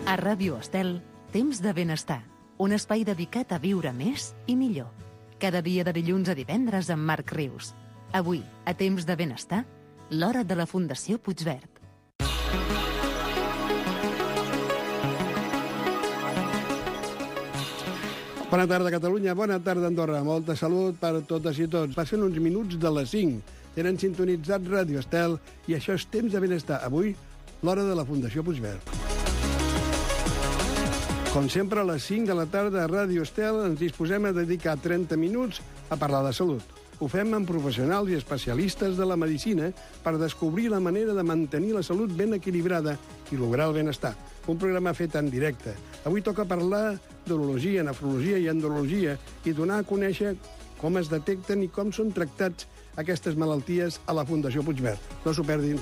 A Ràdio Estel, Temps de Benestar, un espai dedicat a viure més i millor. Cada dia de dilluns a divendres amb Marc Rius. Avui, a Temps de Benestar, l'hora de la Fundació Puigverd. Bona tarda, Catalunya. Bona tarda, Andorra. Molta salut per totes i tots. Passen uns minuts de les 5. Tenen sintonitzat Ràdio Estel i això és Temps de Benestar. Avui, l'hora de la Fundació Puigverd. Com sempre, a les 5 de la tarda a Ràdio Estel ens disposem a dedicar 30 minuts a parlar de salut. Ho fem amb professionals i especialistes de la medicina per descobrir la manera de mantenir la salut ben equilibrada i lograr el benestar. Un programa fet en directe. Avui toca parlar d'urologia, nefrologia i andrologia i donar a conèixer com es detecten i com són tractats aquestes malalties a la Fundació Puigverd. No s'ho perdin.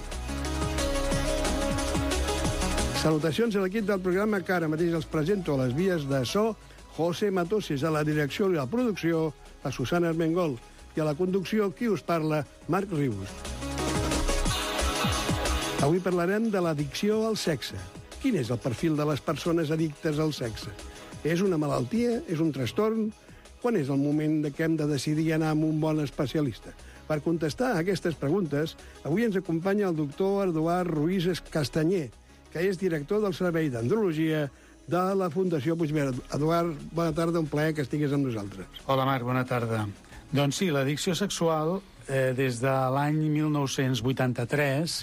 Salutacions a l'equip del programa que ara mateix els presento a les vies de so, José Matoses, a la direcció i la producció, la Susana Armengol, i a la conducció, qui us parla, Marc Rius. Avui parlarem de l'addicció al sexe. Quin és el perfil de les persones addictes al sexe? És una malaltia? És un trastorn? Quan és el moment que hem de decidir anar amb un bon especialista? Per contestar a aquestes preguntes, avui ens acompanya el doctor Eduard Ruiz Castanyer, que és director del Servei d'Andrologia de la Fundació Puigverd. Eduard, bona tarda, un plaer que estiguis amb nosaltres. Hola, Marc, bona tarda. Doncs sí, l'addicció sexual, des de l'any 1983,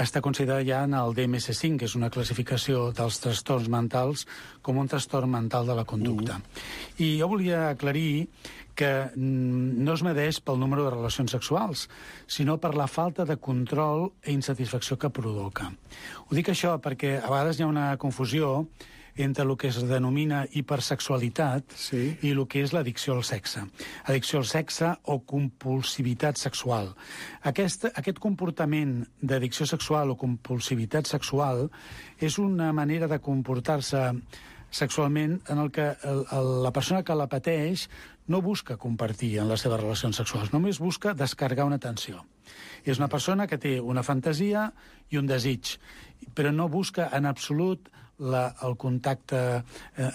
està considerada ja en el DMS-5, que és una classificació dels trastorns mentals, com un trastorn mental de la conducta. I jo volia aclarir que no es medeix pel número de relacions sexuals, sinó per la falta de control i insatisfacció que provoca. Ho dic això perquè a vegades hi ha una confusió entre el que es denomina hipersexualitat i el que és l'addicció al sexe. Addicció al sexe o compulsivitat sexual. Aquest comportament d'addicció sexual o compulsivitat sexual és una manera de comportar-se sexualment en el que la persona que la pateix no busca compartir en les seves relacions sexuals, només busca descarregar una tensió. És una persona que té una fantasia i un desig, però no busca en absolut el contacte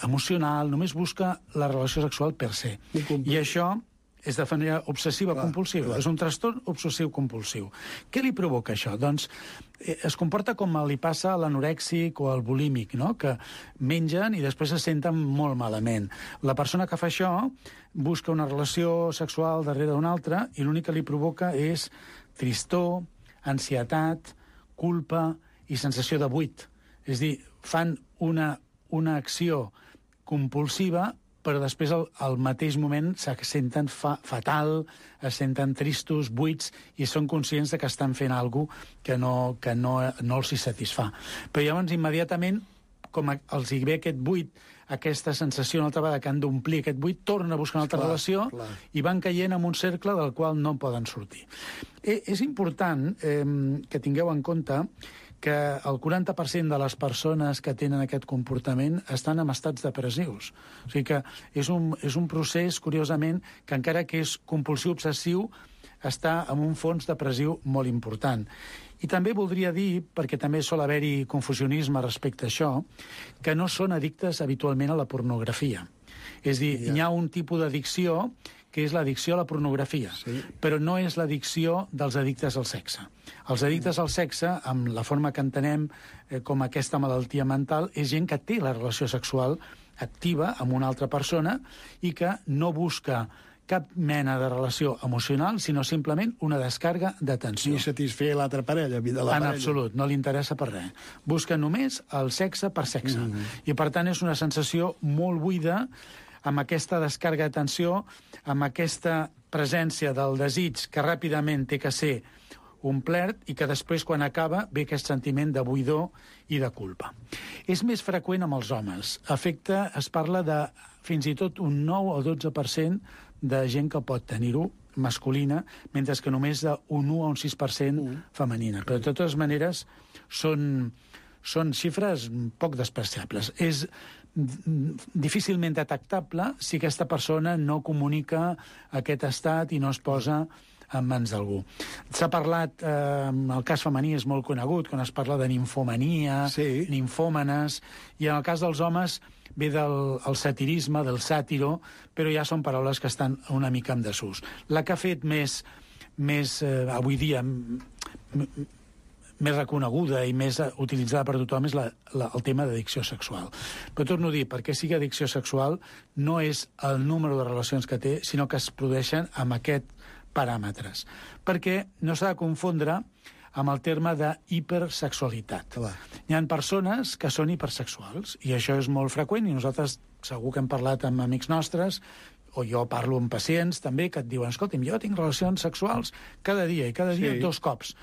emocional, només busca la relació sexual per se. I això és de manera obsessiva-compulsiva. És un trastorn obsessiu-compulsiu. Què li provoca això? Doncs es comporta com li passa a l'anorèxic o al bulímic, no? Que mengen i després se senten molt malament. La persona que fa això busca una relació sexual darrere d'una altra i l'únic que li provoca és tristor, ansietat, culpa i sensació de buit. És a dir, fan una acció compulsiva però després al mateix moment se senten fatal, es senten tristos, buits, i són conscients de que estan fent alguna cosa que no els satisfà. Però llavors, immediatament, com els hi ve aquest buit, aquesta sensació una altra vegada que han d'omplir aquest buit, tornen a buscar una altra relació i van caient en un cercle del qual no poden sortir. És important que tingueu en compte que el 40% de les persones que tenen aquest comportament estan en estats depressius. O sigui que és un procés, curiosament, que encara que és compulsiu-obsessiu, està en un fons depressiu molt important. I també voldria dir, perquè també sol haver-hi confusionisme respecte a això, que no són addictes habitualment a la pornografia. És a dir, hi ha un tipus d'addicció que és l'addicció a la pornografia, però no és l'addicció dels addictes al sexe. Els addictes al sexe, amb la forma que entenem com aquesta malaltia mental, és gent que té la relació sexual activa amb una altra persona i que no busca cap mena de relació emocional, sinó simplement una descàrrega d'atenció. I satisfer l'altra parella, En absolut, no li interessa per res. Busca només el sexe per sexe. I per tant és una sensació molt buida, amb aquesta descàrrega d'atenció, amb aquesta presència del desig que ràpidament té que ser omplert i que després, quan acaba, ve aquest sentiment de buidor i de culpa. És més freqüent amb els homes. Es parla de fins i tot un 9 o 12% de gent que pot tenir-ho masculina, mentre que només d'un 1 o un 6% femenina. Però de totes maneres són xifres poc despreciables. És difícilment detectable si aquesta persona no comunica aquest estat i no es posa en mans d'algú. S'ha parlat, el cas femení és molt conegut, quan es parla de nimfomania, nimfòmenes, i en el cas dels homes ve del satirisme, del sàtiro, però ja són paraules que estan una mica en desús. La que ha fet més avui dia, més reconeguda i més utilitzada per tothom és el tema d'addicció sexual. Però torno a dir, perquè sigui addicció sexual no és el número de relacions que té, sinó que es produeixen amb aquests paràmetres. Perquè no s'ha de confondre amb el terme d'hipersexualitat. Hi ha persones que són hipersexuals, i això és molt freqüent, i nosaltres segur que hem parlat amb amics nostres, o jo parlo amb pacients també, que et diuen, escolta'm, jo tinc relacions sexuals cada dia, i cada dia 2 cops.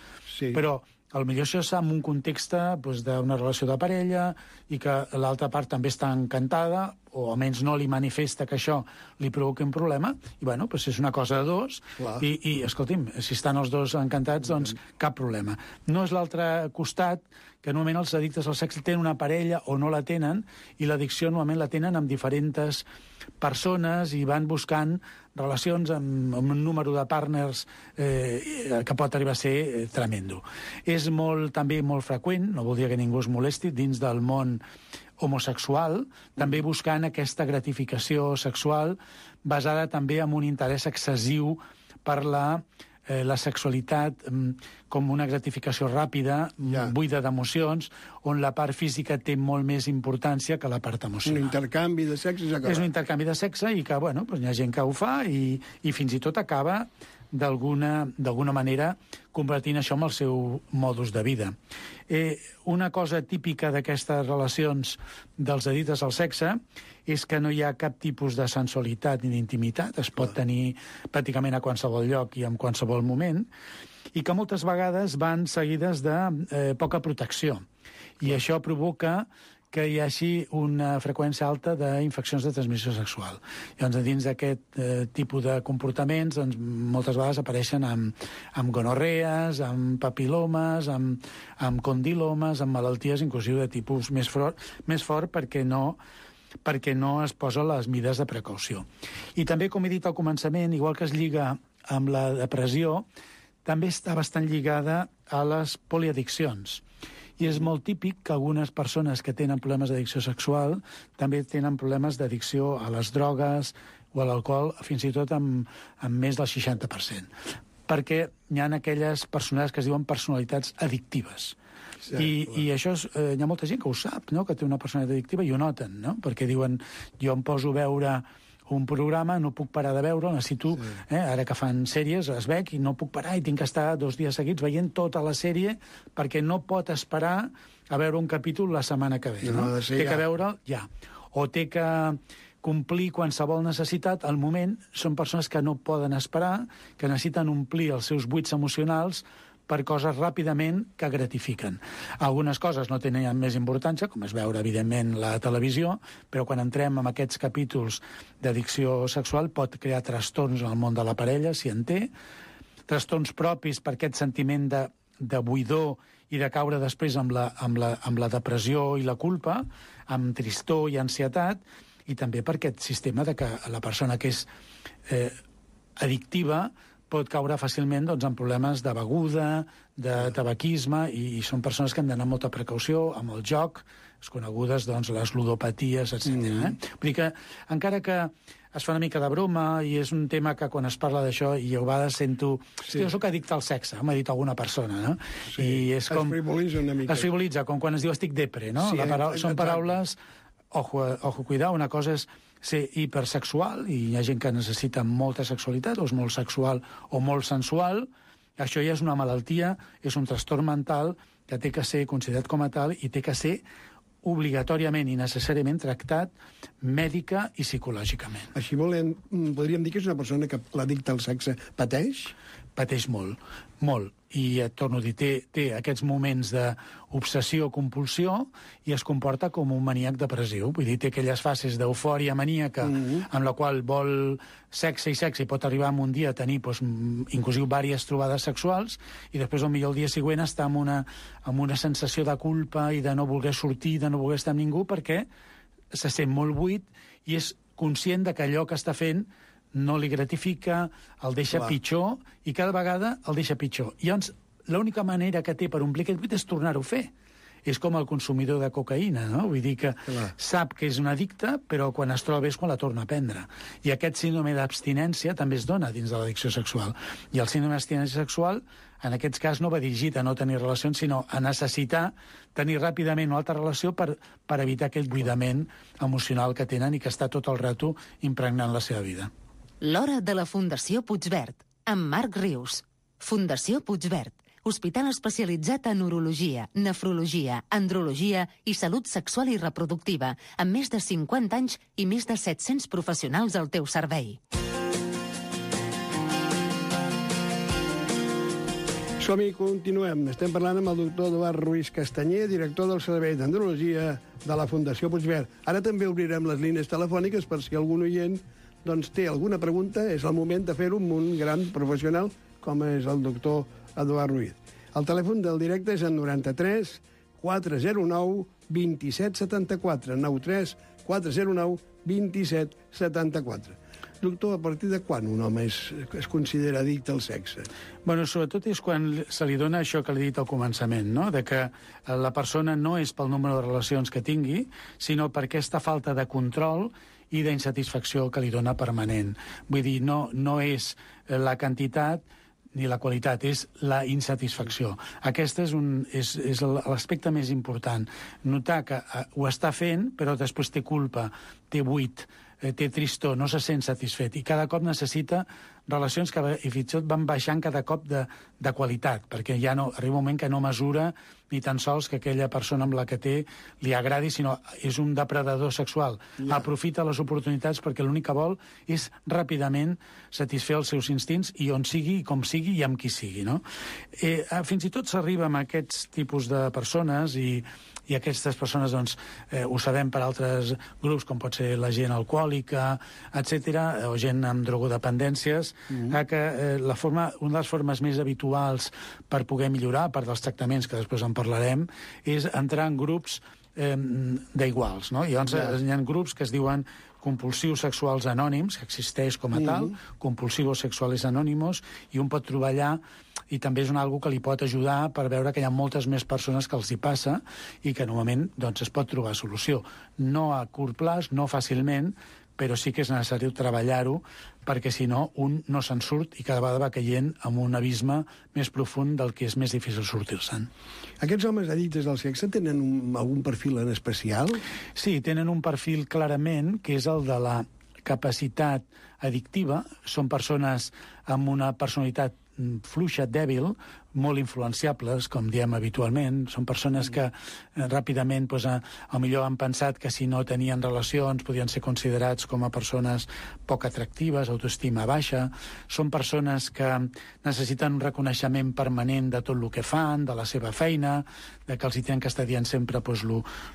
Però potser això és en un context d'una relació de parella i que l'altra part també està encantada, o almenys no li manifesta que això li provoqui un problema, i bueno, és una cosa de 2, i escolti'm, si estan els 2 encantats, doncs cap problema. No és l'altre costat, que normalment els addictes al sexe tenen una parella o no la tenen, i l'addicció normalment la tenen amb diferents persones i van buscant relacions amb un número de partners que pot arribar a ser tremendo. És també molt freqüent, no vol dir que ningú es molesti, dins del món homosexual, també buscant aquesta gratificació sexual basada també en un interès excessiu per la sexualitat com una gratificació ràpida, buida d'emocions, on la part física té molt més importància que la part emocional. Un intercanvi de sexe s'acaba. És un intercanvi de sexe i que, bueno, hi ha gent que ho fa i fins i tot acaba d'alguna manera convertint això en el seu modus de vida. Una cosa típica d'aquestes relacions dels addictes al sexe és que no hi ha cap tipus de sensualitat ni d'intimitat, es pot tenir pràcticament a qualsevol lloc i en qualsevol moment, i que moltes vegades van seguides de poca protecció. I això provoca que hi hagi una freqüència alta d'infeccions de transmissió sexual. Llavors, dins d'aquest tipus de comportaments, doncs, moltes vegades apareixen amb gonorrees, amb papilomes, amb condilomes, amb malalties inclusive de tipus més fort perquè no es posa les mides de precaució. I també, com he dit al començament, igual que es lliga amb la depressió, també està bastant lligada a les poliaddiccions. I és molt típic que algunes persones que tenen problemes d'addicció sexual també tenen problemes d'addicció a les drogues o a l'alcohol, fins i tot amb més del 60%. Perquè hi ha aquelles persones que es diuen personalitats addictives. I això hi ha molta gent que ho sap, no?, que té una personalitat addictiva i ho noten, no?, perquè diuen, jo em poso a veure un programa, no puc parar de veure, necessito, ara que fan sèries, es veig i no puc parar i tinc que estar 2 dies seguits veient tota la sèrie perquè no pot esperar a veure un capítol la setmana que ve. No? Té que veure'l ja. O té que complir qualsevol necessitat al moment. Són persones que no poden esperar, que necessiten omplir els seus buits emocionals per coses ràpidament que gratifiquen. Algunes coses no tenen més importància, com és veure, evidentment, la televisió, però quan entrem en aquests capítols d'addicció sexual pot crear trastorns en el món de la parella, si en té, trastorns propis per aquest sentiment de buidor i de caure després amb la depressió i la culpa, amb tristor i ansietat, i també per aquest sistema de que la persona que és addictiva pot caure fàcilment en problemes de beguda, de tabaquisme, i són persones que han d'anar amb molta precaució amb el joc, les conegudes les ludopaties, etc. Vull dir que, encara que es fa una mica de broma, i és un tema que quan es parla d'això, i jo a vegades sento... Jo soc addicte al sexe, m'ha dit alguna persona, no? I és com... Es frivolitza una mica. Es frivolitza, com quan es diu estic depre, no? Són paraules... Ojo, cuidar, una cosa és ser hipersexual, i hi ha gent que necessita molta sexualitat, o és molt sexual o molt sensual. Això ja és una malaltia, és un trastorn mental que té que ser considerat com a tal i té que ser obligatòriament i necessàriament tractat mèdica i psicològicament. Així podríem dir que és una persona que l'addicte al sexe pateix? Pateix molt, molt. I et torno a dir, té aquests moments d'obsessió-compulsió i es comporta com un maníac depressiu. Vull dir, té aquelles fases d'eufòria maníaca amb la qual vol sexe i pot arribar en un dia a tenir inclusive diverses trobades sexuals, i després potser el dia següent està amb una sensació de culpa i de no voler sortir, de no voler estar amb ningú, perquè se sent molt buit i és conscient de que allò que està fent no li gratifica, el deixa pitjor, i cada vegada el deixa pitjor. I llavors, l'única manera que té per omplir aquest buit és tornar-ho a fer. És com el consumidor de cocaïna, no? Vull dir que sap que és un addicte, però quan es troba és quan la torna a prendre. I aquest síndrome d'abstinència també es dona dins de l'addicció sexual. I el síndrome d'abstinència sexual, en aquest cas, no va dirigit a no tenir relacions, sinó a necessitar tenir ràpidament una altra relació per evitar aquell buidament emocional que tenen i que està tot el rato impregnant la seva vida. L'hora de la Fundació Puigverd, amb Marc Rius. Fundació Puigverd, hospital especialitzat en urologia, nefrologia, andrologia i salut sexual i reproductiva, amb més de 50 anys i més de 700 professionals al teu servei. Som-hi, continuem. Estem parlant amb el doctor Eduard Ruiz Castanyer, director del Servei d'Andrologia de la Fundació Puigverd. Ara també obrirem les línies telefòniques per si algun oient té alguna pregunta. És el moment de fer-ho amb un gran professional com és el doctor Eduard Ruiz. El telèfon del directe és el 93 409 2774. 93 409 2774. Doctor, a partir de quan un home es considera addicte al sexe? Bueno, sobretot és quan se li dona això que li he dit al començament, no? De que la persona no és pel número de relacions que tingui, sinó per aquesta falta de control i d'insatisfacció que li dona permanent. Vull dir, no és la quantitat ni la qualitat, és la insatisfacció. Aquest és l'aspecte més important. Notar que ho està fent, però després té culpa, té buit, té tristor, no se sent satisfet, i cada cop necessita relacions que fins i tot van baixant cada cop de qualitat, perquè ja no, arriba un moment que no mesura ni tan sols que aquella persona amb la que té li agradi, sinó és un depredador sexual. Aprofita les oportunitats perquè l'únic que vol és ràpidament satisfer els seus instints i on sigui, com sigui i amb qui sigui, no? Fins i tot s'arriba amb aquests tipus de persones i aquestes persones, doncs, ho sabem per altres grups, com pot ser la gent alcohòlica, etc., o gent amb drogodependències, que una de les formes més habituals per poder millorar, a part dels tractaments, que després en parlarem, és entrar en grups d'iguals, no? I llavors hi ha grups que es diuen compulsius sexuals anònims, que existeix com a tal, compulsivos sexuales anónimos, i un pot trobar allà, i també és algo que li pot ajudar per veure que hi ha moltes més persones que els hi passa i que normalment doncs, es pot trobar solució. No a curt plaç, no fàcilment, però sí que és necessari treballar-ho, perquè si no, un no se'n surt i cada vegada va caient en un abisme més profund del que és més difícil sortir-se'n. Aquests homes addictes al sexe tenen algun perfil en especial? Sí, tenen un perfil clarament, que és el de la capacitat addictiva. Són persones amb una personalitat fluixa, dèbil, molt influenciables, com diem habitualment. Són persones que ràpidament millor han pensat que si no tenien relacions podien ser considerats com a persones poc atractives, autoestima baixa. Són persones que necessiten un reconeixement permanent de tot el que fan, de la seva feina, de que els hi tenen que estar dient sempre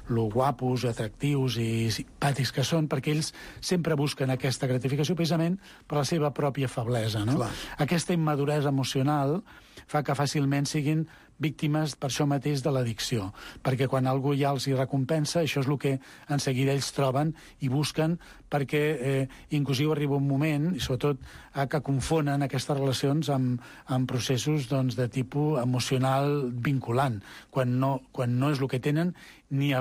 lo guapos, atractius i simpàtics que són, perquè ells sempre busquen aquesta gratificació precisament per la seva pròpia feblesa, no? Aquesta immaduresa emocional fa que fàcilment siguin víctimes per això mateix de l'addicció, perquè quan algú ja els hi recompensa, això és el que en seguida ells troben i busquen, perquè inclusive arriba un moment, i sobretot que confonen aquestes relacions amb processos de tipus emocional vinculant, quan no és el que tenen ni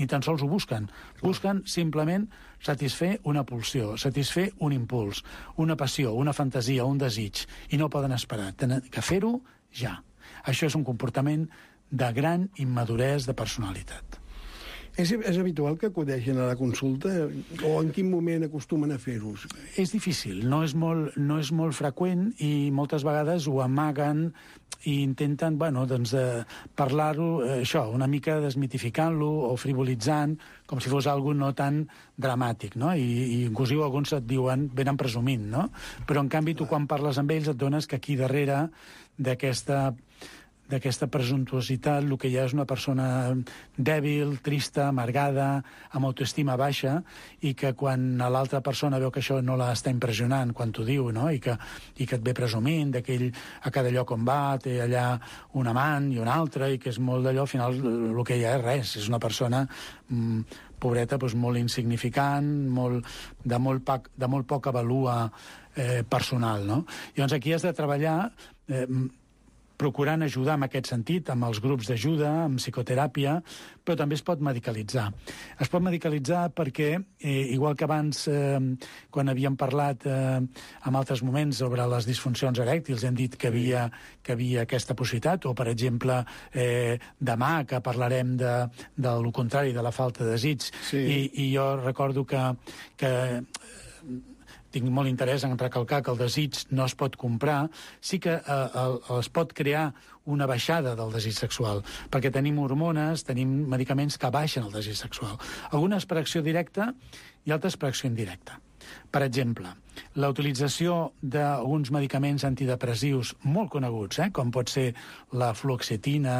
tan sols ho busquen. Busquen simplement satisfer una pulsió, satisfer un impuls, una passió, una fantasia, un desig, i no poden esperar. Tenen que fer-ho ja. Això és un comportament de gran immaduresa de personalitat. És habitual que acudeixin a la consulta o en quin moment acostumen a fer-ho? És difícil, no és molt freqüent i moltes vegades ho amaguen i intenten parlar-ho, això, una mica desmitificant-lo o frivolitzant, com si fos algo no tan dramàtic, no? I inclusive alguns et diuen, venen presumint, no? Però en canvi tu quan parles amb ells et dones que aquí darrere d'aquesta presumptuositat, el que hi ha és una persona dèbil, trista, amargada, amb autoestima baixa, i que quan l'altra persona veu que això no l'està impressionant quan t'ho diu, no? I que et ve presumint, que ell a cada lloc on va té allà un amant i un altre, i que és molt d'allò, al final el que hi ha és res, és una persona pobreta, doncs, molt insignificant, de molt poca valua personal, no? Llavors aquí has de treballar procurant ajudar en aquest sentit, amb els grups d'ajuda, amb psicoteràpia, però també es pot medicalitzar. Es pot medicalitzar perquè, igual que abans, quan havíem parlat en altres moments sobre les disfuncions erèctils, hem dit que havia aquesta possibilitat, o, per exemple, demà, que parlarem del contrari, de la falta de desig, i jo recordo que tinc molt interès en recalcar que el desig no es pot comprar, sí que es pot crear una baixada del desig sexual, perquè tenim hormones, tenim medicaments que baixen el desig sexual. Algunes per acció directa i altres per acció indirecta. Per exemple, la utilització d'alguns medicaments antidepressius molt coneguts, com pot ser la fluoxetina,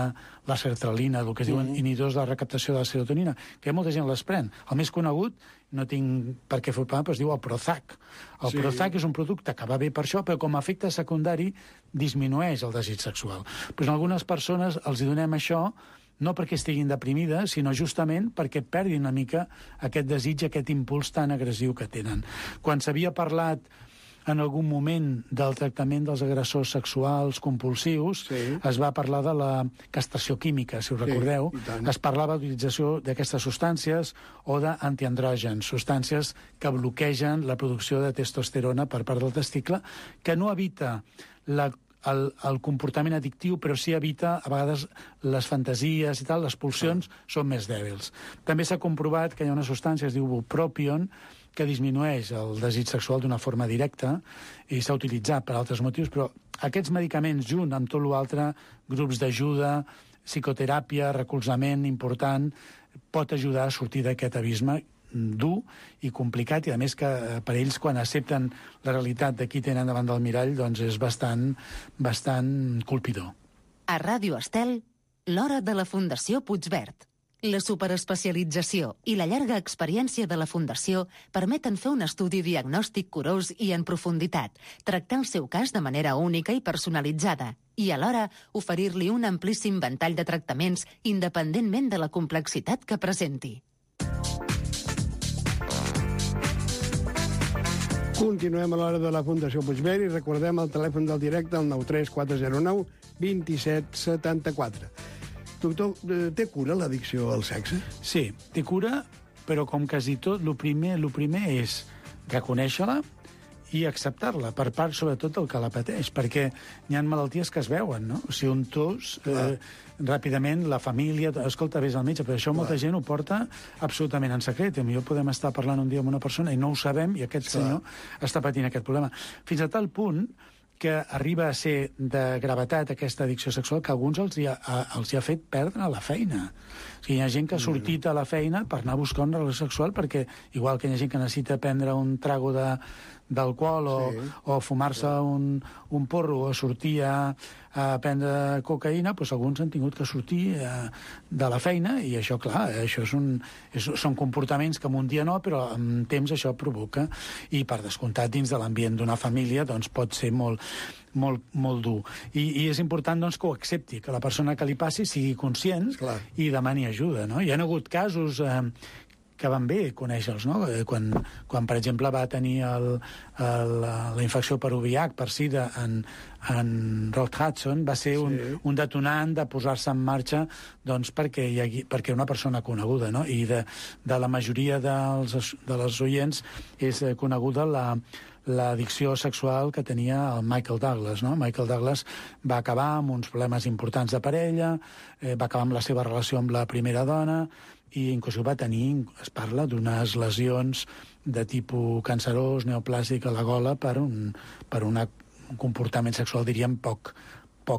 la sertralina, el que es diuen inhibidors de la recaptació de la serotonina, que molta gent les pren. El més conegut, no tinc per què fer però es diu el Prozac. El Prozac és un producte que va bé per això, però com a efecte secundari disminueix el desig sexual. Però en algunes persones els donem això no perquè estiguin deprimides, sinó justament perquè perdin una mica aquest desig, aquest impuls tan agressiu que tenen. Quan s'havia parlat en algun moment del tractament dels agressors sexuals compulsius, es va parlar de la castració química, si us recordeu. Es parlava d'utilització d'aquestes substàncies o d'antiandrògens, substàncies que bloquegen la producció de testosterona per part del testicle, que no evita el comportament addictiu, però sí evita, a vegades, les fantasies i tal, les pulsions són més dèbils. També s'ha comprovat que hi ha una substància, es diu bupropion, que disminueix el desig sexual d'una forma directa i s'ha utilitzat per altres motius, però aquests medicaments, junt amb tot l'altre, grups d'ajuda, psicoteràpia, recolzament important, pot ajudar a sortir d'aquest abisme dur i complicat, i a més que per ells, quan accepten la realitat de qui tenen davant del mirall, doncs és bastant colpidor. A Ràdio Estel, l'hora de la Fundació Puigverd. La superespecialització i la llarga experiència de la Fundació permeten fer un estudi diagnòstic curós i en profunditat, tractar el seu cas de manera única i personalitzada, i alhora oferir-li un amplíssim ventall de tractaments independentment de la complexitat que presenti. Continuem a l'hora de la Fundació Puigverd i recordem el telèfon del directe, el 93 409 27 74. Doctor, té cura l'addicció al sexe? Sí, té cura, però com quasi tot, el primer és reconèixer-la i acceptar-la, per part, sobretot, del que la pateix, perquè hi ha malalties que es veuen, no? O sigui, un tos, ràpidament, la família... Escolta, vés al metge, però això molta gent ho porta absolutament en secret. Potser podem estar parlant un dia amb una persona i no ho sabem, i aquest senyor està patint aquest problema. Fins a tal punt que arriba a ser de gravetat aquesta addicció sexual que a alguns els hi ha fet perdre la feina. O sigui, hi ha gent que ha sortit a la feina per anar a buscar una relació sexual perquè, igual que hi ha gent que necessita prendre un trago d'alcohol o fumar-se un porro o sortir a prendre cocaïna, doncs alguns han tingut que sortir de la feina, i això, clar, això són comportaments que en un dia no, però amb temps això provoca, i per descomptat dins de l'ambient d'una família doncs pot ser molt dur. I és important doncs, que ho accepti, que la persona que li passi sigui conscient i demani ajuda, no? Hi ha hagut casos que van bé conèixer-los, no? Quan, per exemple, va tenir la infecció per VIH, per SIDA, en Rock Hudson, va ser un detonant de posar-se en marxa doncs, perquè una persona coneguda, no? I de la majoria dels oients és coneguda l'addicció sexual que tenia el Michael Douglas, no? Michael Douglas va acabar amb uns problemes importants de parella, va acabar amb la seva relació amb la primera dona, i inclús va tenir, es parla d'unes lesions de tipus cancerós, neoplàstic a la gola per un comportament sexual, diríem, poc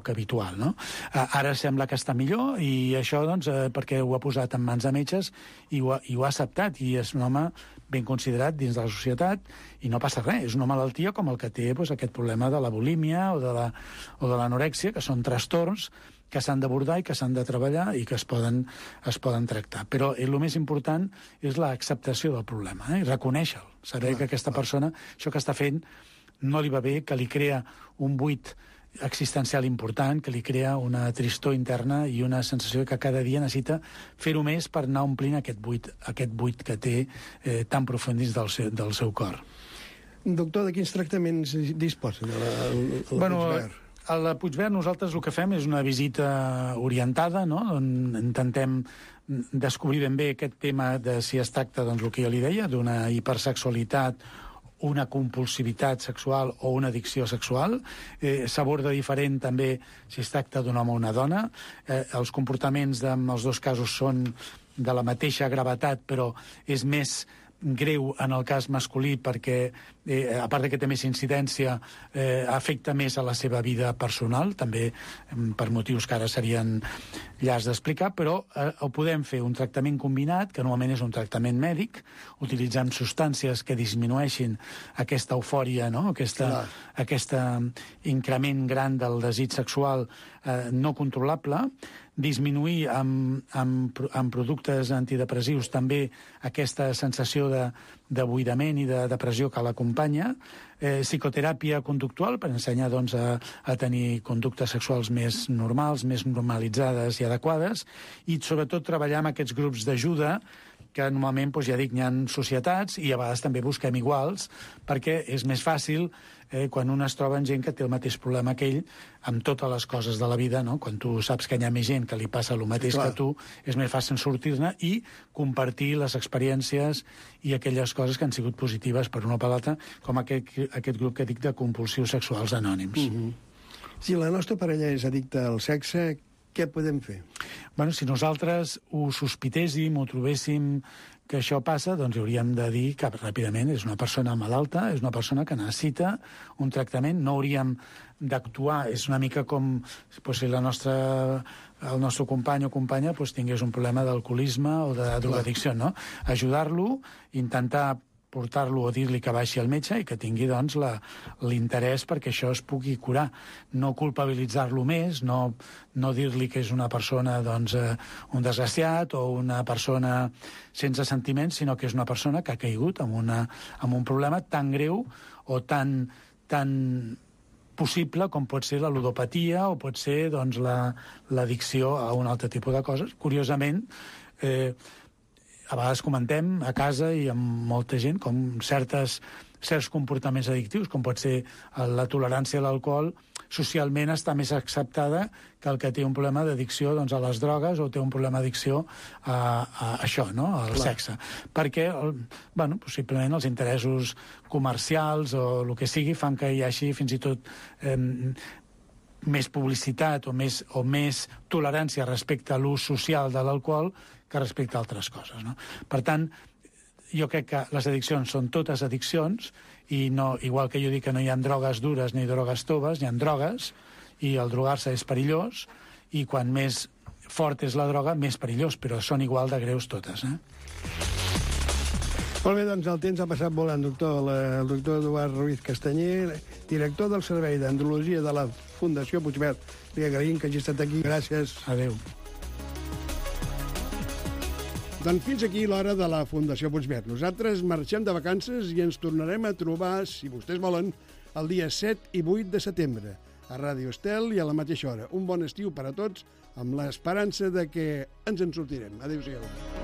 habitual, no? Ara sembla que està millor, i això, doncs, perquè ho ha posat en mans de metges i ho ha acceptat, i és un home ben considerat dins de la societat, i no passa res. És una malaltia com el que té aquest problema de la bulímia o de l'anorèxia, que són trastorns que s'han d'abordar i que s'han de treballar i que es poden tractar. Però el més important és l'acceptació del problema, i reconèixer-lo, saber que aquesta persona, això que està fent, no li va bé, que li crea un buit existencial important, que li crea una tristor interna i una sensació que cada dia necessita fer-ho més per anar omplint aquest buit que té tan profund dins del seu cor. Doctor, de quins tractaments disposen a la Puigverd? A la Puigverd nosaltres el que fem és una visita orientada, no?, on intentem descobrir ben bé aquest tema de si es tracta, doncs, el que jo li deia, d'una hipersexualitat, una compulsivitat sexual o una addicció sexual. S'aborda diferent també si es tracta d'un home o una dona. Els comportaments en els dos casos són de la mateixa gravetat, però és més greu en el cas masculí perquè, a part que té més incidència, afecta més a la seva vida personal, també per motius que ara serien llars d'explicar, però ho podem fer un tractament combinat, que normalment és un tractament mèdic, utilitzant substàncies que disminueixin aquesta eufòria, no?, aquest increment gran del desig sexual no controlable, disminuir amb productes antidepressius també aquesta sensació de buidament i de depressió que l'acompanya, psicoteràpia conductual per ensenyar, doncs, a tenir conductes sexuals més normals, més normalitzades i adequades, i sobretot treballar amb aquests grups d'ajuda que normalment, doncs, ja dic, hi ha societats i a vegades també busquem iguals, perquè és més fàcil quan un es troba amb gent que té el mateix problema que ell amb totes les coses de la vida, no? Quan tu saps que hi ha més gent que li passa el mateix que tu, és més fàcil sortir-ne i compartir les experiències i aquelles coses que han sigut positives per una o per l'altra, com aquest grup que dic de compulsius sexuals anònims. Si la nostra parella és addicta al sexe, què podem fer? Bueno, si nosaltres ho sospitéssim, ho trobéssim que això passa, doncs hauríem de dir que ràpidament és una persona malalta, és una persona que necessita un tractament, no hauríem d'actuar, és una mica com si el nostre company o companya tingués un problema d'alcoholisme o de drogadicció, no? Ajudar-lo, intentar portar-lo o dir-li que baixi al metge i que tingui, doncs, l'interès perquè això es pugui curar. No culpabilitzar-lo més, no dir-li que és una persona, doncs, un desgraciat o una persona sense sentiments, sinó que és una persona que ha caigut en un problema tan greu o tan possible com pot ser la ludopatia o pot ser, doncs, l'addicció a un altre tipus de coses. Curiosament, a vegades comentem a casa i amb molta gent com certs comportaments addictius, com pot ser la tolerància a l'alcohol, socialment està més acceptada que el que té un problema d'addicció, doncs, a les drogues o té un problema d'addicció a això, no?, al sexe. Perquè, possiblement els interessos comercials o el que sigui fan que hi hagi fins i tot més publicitat o més tolerància respecte a l'ús social de l'alcohol que respecte a altres coses, no? Per tant, jo crec que les addiccions són totes addiccions i no, igual que jo dic que no hi ha drogues dures ni drogues toves, hi ha drogues i el drogar-se és perillós i quan més fort és la droga, més perillós, però són igual de greus totes, Molt bé, doncs el temps ha passat volant, doctor. El doctor Eduard Ruiz Castanyer, director del Servei d'Andrologia de la Fundació Puigverd. Li agraïm que hagi estat aquí. Gràcies. Adéu. Doncs fins aquí l'hora de la Fundació Puigverd. Nosaltres marxem de vacances i ens tornarem a trobar, si vostès volen, el dia 7 i 8 de setembre, a Ràdio Estel i a la mateixa hora. Un bon estiu per a tots, amb l'esperança de que ens en sortirem. Adéu-siau.